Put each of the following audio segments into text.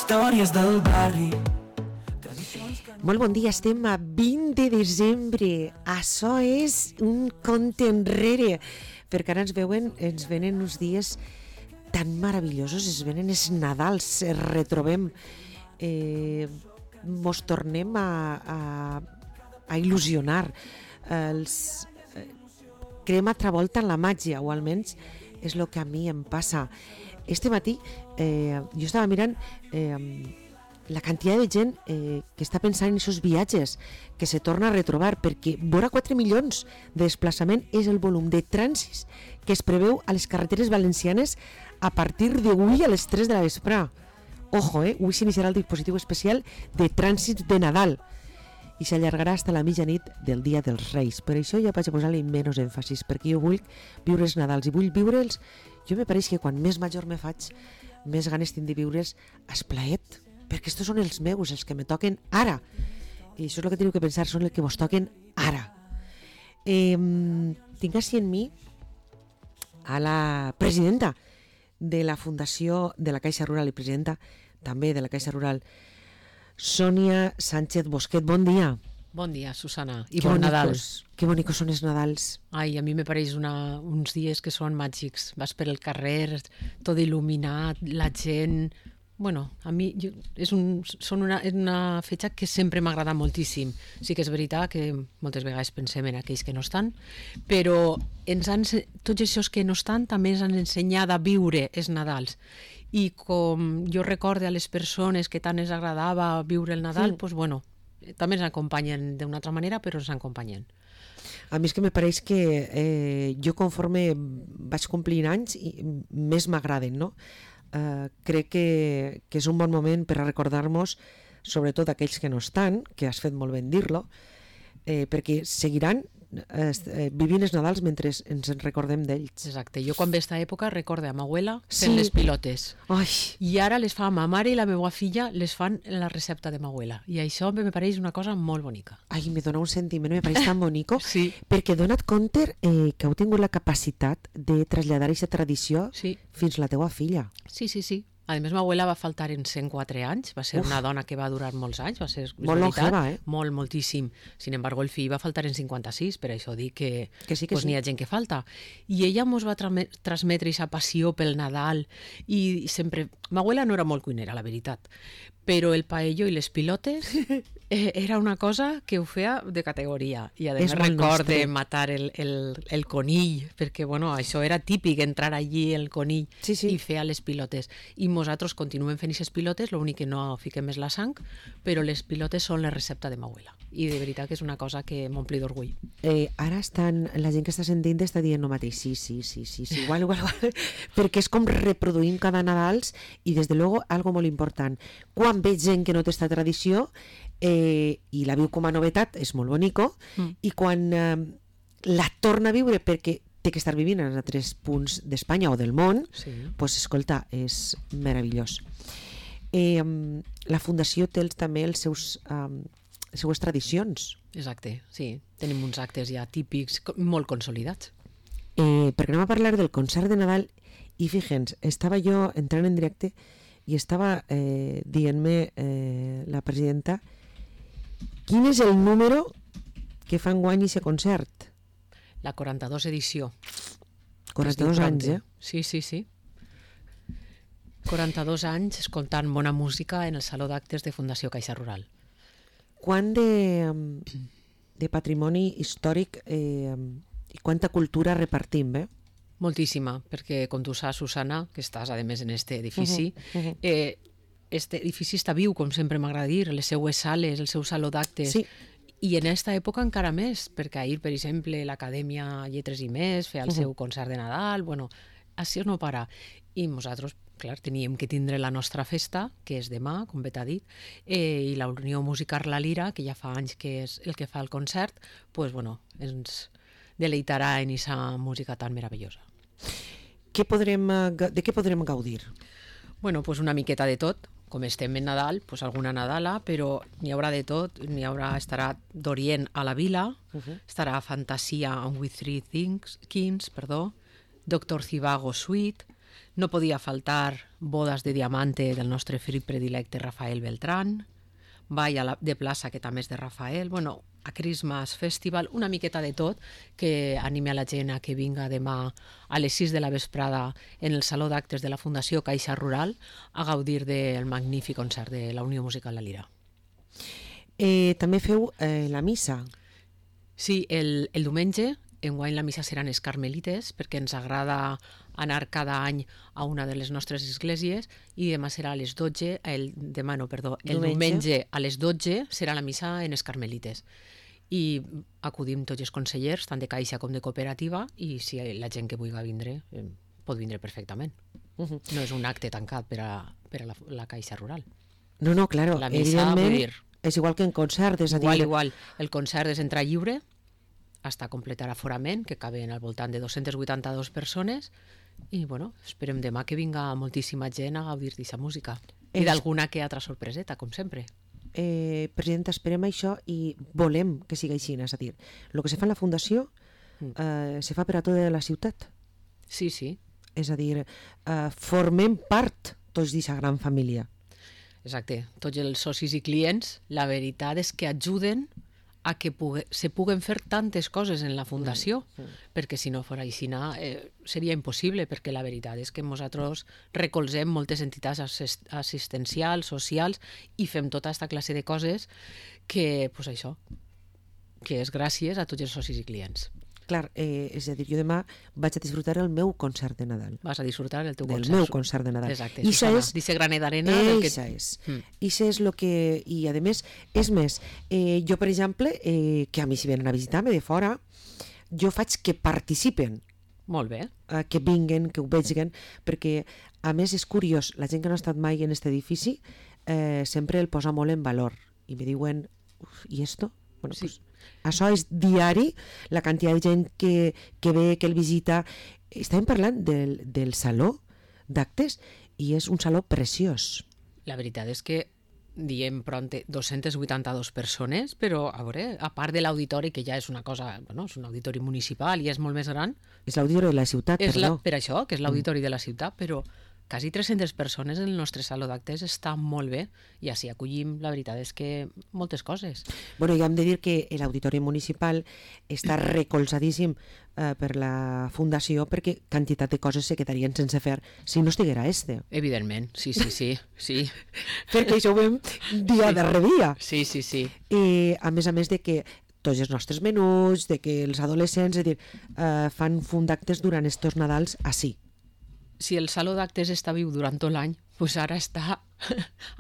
històries del barri. Molt bon dia, estem a 20 de desembre. Això és un compte enrere, perquè ara ens venen uns dies tan meravellosos, es venen els Nadals, es retrobem, mos tornem a il·lusionar, creem altra volta en la màgia, o almenys és el que a mi em passa. Este matí jo estava mirant la quantitat de gent que està pensant en aquests viatges que se torna a retrobar, perquè vora 4 milions de desplaçament és el volum de trànsits que es preveu a les carreteres valencianes a partir d'avui a les 3 de la vesprà. Ojo, avui s'iniciarà el dispositiu especial de trànsits de Nadal i s'allargarà fins a la mitjanit del Dia dels Reis. Per això ja vaig a posar-li menys èmfasis, perquè jo vull viure els Nadals i vull viure'ls. Jo me pareix que quan més major me faig, més ganes tinc de viure'ls esplaet, perquè estos són els meus, els que me toquen ara. I això és el que teniu que pensar, són els que vos toquen ara. Tinc així en mi a la presidenta de la Fundació de la Caixa Rural i presidenta també de la Caixa Rural, Sònia Sánchez Bosquet. Bon dia. Bon dia, Susana, i bon Nadal. Que bonicos són els Nadals. Ai, a mi me pareix uns dies que són màgics. Vas per el carrer, tot il·luminat, la gent... Bueno, a mi és una fetge que sempre m'ha agradat moltíssim. Sí que és veritat que moltes vegades pensem en aquells que no estan, però tots aquests que no estan també ens han ensenyat a viure els Nadals. I com jo recorde a les persones que tant ens agradava viure el Nadal, doncs bueno, també ens acompanyen d'una altra manera, però ens acompanyen. A mi és que me pareix que jo conforme vaig complint anys més m'agraden, no? Crec que és un bon moment per a recordar-nos, sobretot aquells que no estan, que has fet molt ben dir-lo, perquè seguiran vivint els Nadals mentre ens en recordem d'ells. Exacte, jo quan ve aquesta època recorde a ma abuela fent les pilotes. Ai. I ara les fa ma mare i la meva filla, les fan en la recepta de ma abuela, i això me pareix una cosa molt bonica. Ai, me dona un sentiment, me pareix tan bonico, sí. Perquè dona't compte que heu tingut la capacitat de traslladar aquesta tradició fins a la teua filla. Sí. A més, ma abuela va faltar en 104 anys, va ser una dona que va durar molts anys, va ser molt longeva, moltíssim. Sin embargo, el fill va faltar en 56, per això dic que sí. N'hi ha gent que falta. I ella ens va transmetre aquesta passió pel Nadal, i sempre... Ma abuela no era molt cuinera, la veritat, però el paello i les pilotes era una cosa que ho feia de categoria. I a més recorde matar el conill, perquè bueno, això era típic, entrar allí el conill i fer les pilotes. I nosaltres continuem fent aquestes pilotes, l'únic que no fiquem és la sang, però les pilotes són la recepta de ma abuela. I de veritat que és una cosa que m'ompli d'orgull. Ara la gent que està sentint està dient el mateix, sí, igual, perquè és com reproduïm cada Nadals, i des de luego algo molt important, quan veig gent que no té esta tradició i la viu com a novetat, és molt bonico, i quan la torna a viure perquè té que estar vivint en altres punts d'Espanya o del món, doncs escolta, és meravellós. La Fundació té també les seues tradicions. Exacte, sí, tenim uns actes ja típics molt consolidats. Perquè anem a parlar del concert de Nadal, i fíjense, estava jo entrant en directe i estava dient-me la presidenta quin és el número que fa enguany aquest concert. La 42 edició. 42 anys, Sí. 42 anys escoltant bona música en el Saló d'Actes de Fundació Caixa Rural. Quant de patrimoni històric i quanta cultura repartim, Moltíssima, perquè com tu saps, Susana, que estàs a més en este edifici, este edifici està viu, com sempre m'agrada dir, les seues sales, el seu saló d'actes, i en aquesta època encara més, perquè ahir, per exemple, l'Acadèmia Lletres i Més feia el seu concert de Nadal, bueno, això no para. I nosaltres, clar, teníem que tindre la nostra festa, que és demà, com bé t'ha dit, i la Unió Musical La Lira, que ja fa anys que és el que fa el concert, doncs, bueno, ens deleitarà en aquesta música tan meravellosa. De què podrem gaudir? Bueno, doncs una miqueta de tot. Com estem en Nadal, doncs alguna Nadala, però n'hi haurà de tot. Estarà d'Orient a la Vila, estarà Fantasia and with Three Kings, Dr. Zivago Suite, No podia faltar Bodas de Diamante del nostre fill predilecte Rafael Beltrán, Ball de plaça, que també és de Rafael, bueno, a Christmas Festival, una miqueta de tot, que anime a la gent a que vinga demà a les 6 de la vesprada en el Saló d'Actes de la Fundació Caixa Rural a gaudir del magnífic concert de la Unió Musical La Lira. També feu la missa. Sí, el diumenge, enguany la missa seran els carmelites, perquè ens agrada anar cada any a una de les nostres esglésies, i demà serà a les 12, el diumenge a les 12 serà la missa en els carmelites. I acudim tots els consellers, tant de Caixa com de cooperativa, i si la gent que vulgui vindre, pot vindre perfectament. No és un acte tancat per a la Caixa Rural. No, claro, la missa, evidentment, és igual que en concert, és a dir... Igual. El concert és entrada lliure, hasta completar aforament, que caben al voltant de 282 persones, i bueno, esperem demà que vinga moltíssima gent a gaudir d'aquesta música. I d'alguna que altra sorpreseta, com sempre. Presidenta, esperem això i volem que sigui així, és a dir, el que se fa en la Fundació se fa per a tota la ciutat. Sí. És a dir, formem part tots d'aquesta gran família. Exacte. Tots els socis i clients, la veritat és que ajuden a que se puguen fer tantes coses en la Fundació, perquè si no fos així seria impossible, perquè la veritat és que nosaltres recolzem moltes entitats assistencials, socials, i fem tota aquesta classe de coses que, pues això, que és gràcies a tots els socis i clients. Clar, és a dir, jo demà vaig a disfrutar el meu concert de Nadal. Vas a disfrutar el teu concert. Del meu concert de Nadal. Exacte, Susana, dice granet d'arena. Això és. Això és el que... I, a més, és més, jo, per exemple, que a mi si venen a visitar-me de fora, jo faig que participen. Molt bé. Que vinguen, que ho vegin, perquè, a més, és curiós, la gent que no ha estat mai en aquest edifici sempre el posa molt en valor. I me diuen, i esto? Bueno, sí. Pues, això és diari, la quantitat de gent que ve, que el visita. Estàvem parlant del saló d'actes i és un saló preciós. La veritat és que diem pront 282 persones, però a veure, a part de l'auditori, que ja és una cosa, bueno, és un auditori municipal i és molt més gran. És l'auditori de la ciutat, perdó. Per això, que és l'auditori de la ciutat, però quasi 300 persones en el nostre saló d'actes està molt bé i així acollim, la veritat és que moltes coses. Bueno, ja hem de dir que l'auditori municipal està recolzadíssim per la Fundació perquè quantitat de coses se quedarien sense fer si no estiguera este. Evidentment, sí. Perquè això ho veiem dia darrere dia. Sí. I a més de que tots els nostres menús, de que els adolescents fan fum d'actes durant estos Nadals així. Si el saló d'actes està viu durant tot l'any, doncs ara està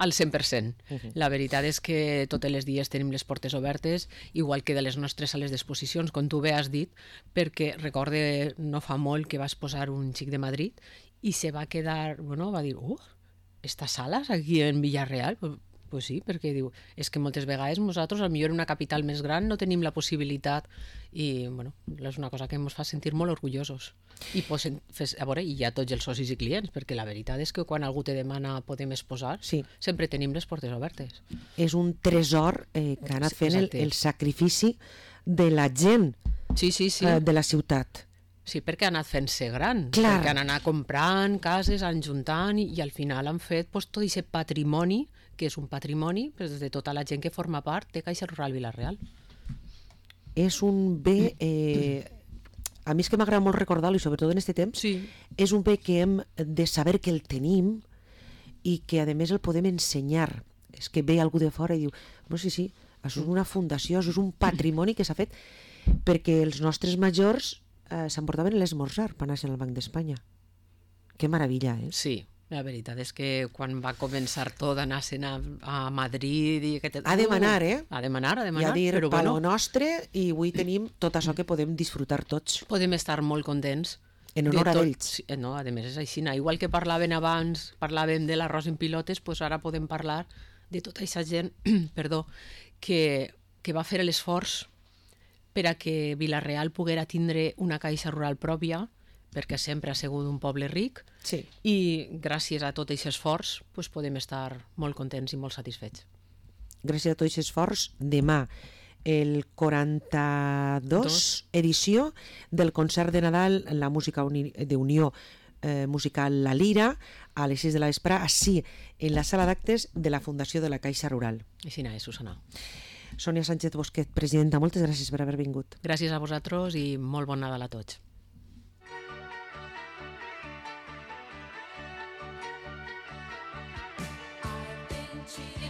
al 100%. La veritat és que tots els dies tenim les portes obertes, igual que de les nostres sales d'exposicions, com tu bé has dit, perquè recorde no fa molt que vas posar un xic de Madrid i se va quedar, bueno, va dir, estas sales aquí en Villarreal? Pues sí, perquè diu, és que moltes vegades nosaltres, potser en una capital més gran, no tenim la possibilitat i, bueno, és una cosa que ens fa sentir molt orgullosos. I a veure, i hi ha tots els socis i clients, perquè la veritat és que quan algú te demana podem exposar, sempre tenim les portes obertes. És un tresor que ha anat fent el sacrifici de la gent de la ciutat. Sí, perquè ha anat fent-se gran, Clar. Perquè han anat comprant cases, han juntant i al final han fet tot aquest patrimoni, que és un patrimoni de tota la gent que forma part de Caixa Rural Vila-real. És un bé, a mi és que m'agrada molt recordar-lo, i sobretot en aquest temps, és un bé que hem de saber que el tenim i que a més el podem ensenyar. És que ve algú de fora i diu, no, sí, això és una fundació, això és un patrimoni que s'ha fet perquè els nostres majors s'emportaven l'esmorzar per anar-se'n al Banc d'Espanya. Que meravella, eh? Sí. La veritat és que quan va començar tot anar-se'n a Madrid... A demanar, A demanar, i a dir, palo nostre, i avui tenim tot això que podem disfrutar tots. Podem estar molt contents. En honor a ells. No, a més és així. Igual que parlàvem abans, parlàvem de l'arròs en pilotes, doncs ara podem parlar de tota aquesta gent que va fer l'esforç per a que Vila-real poguera tindre una caixa rural pròpia, perquè sempre ha sigut un poble ric, i gràcies a tot aquest esforç podem estar molt contents i molt satisfets. Gràcies a tot aquest esforç, demà el 42 edició del concert de Nadal, la música d'Unió musical La Lira a les 6 de la vespre, així, en la sala d'actes de la Fundació de la Caixa Rural. Així és, Susana. Sònia Sánchez Bosquet, presidenta, moltes gràcies per haver vingut. Gràcies a vosaltres i molt bon Nadal a tots. I've been cheating.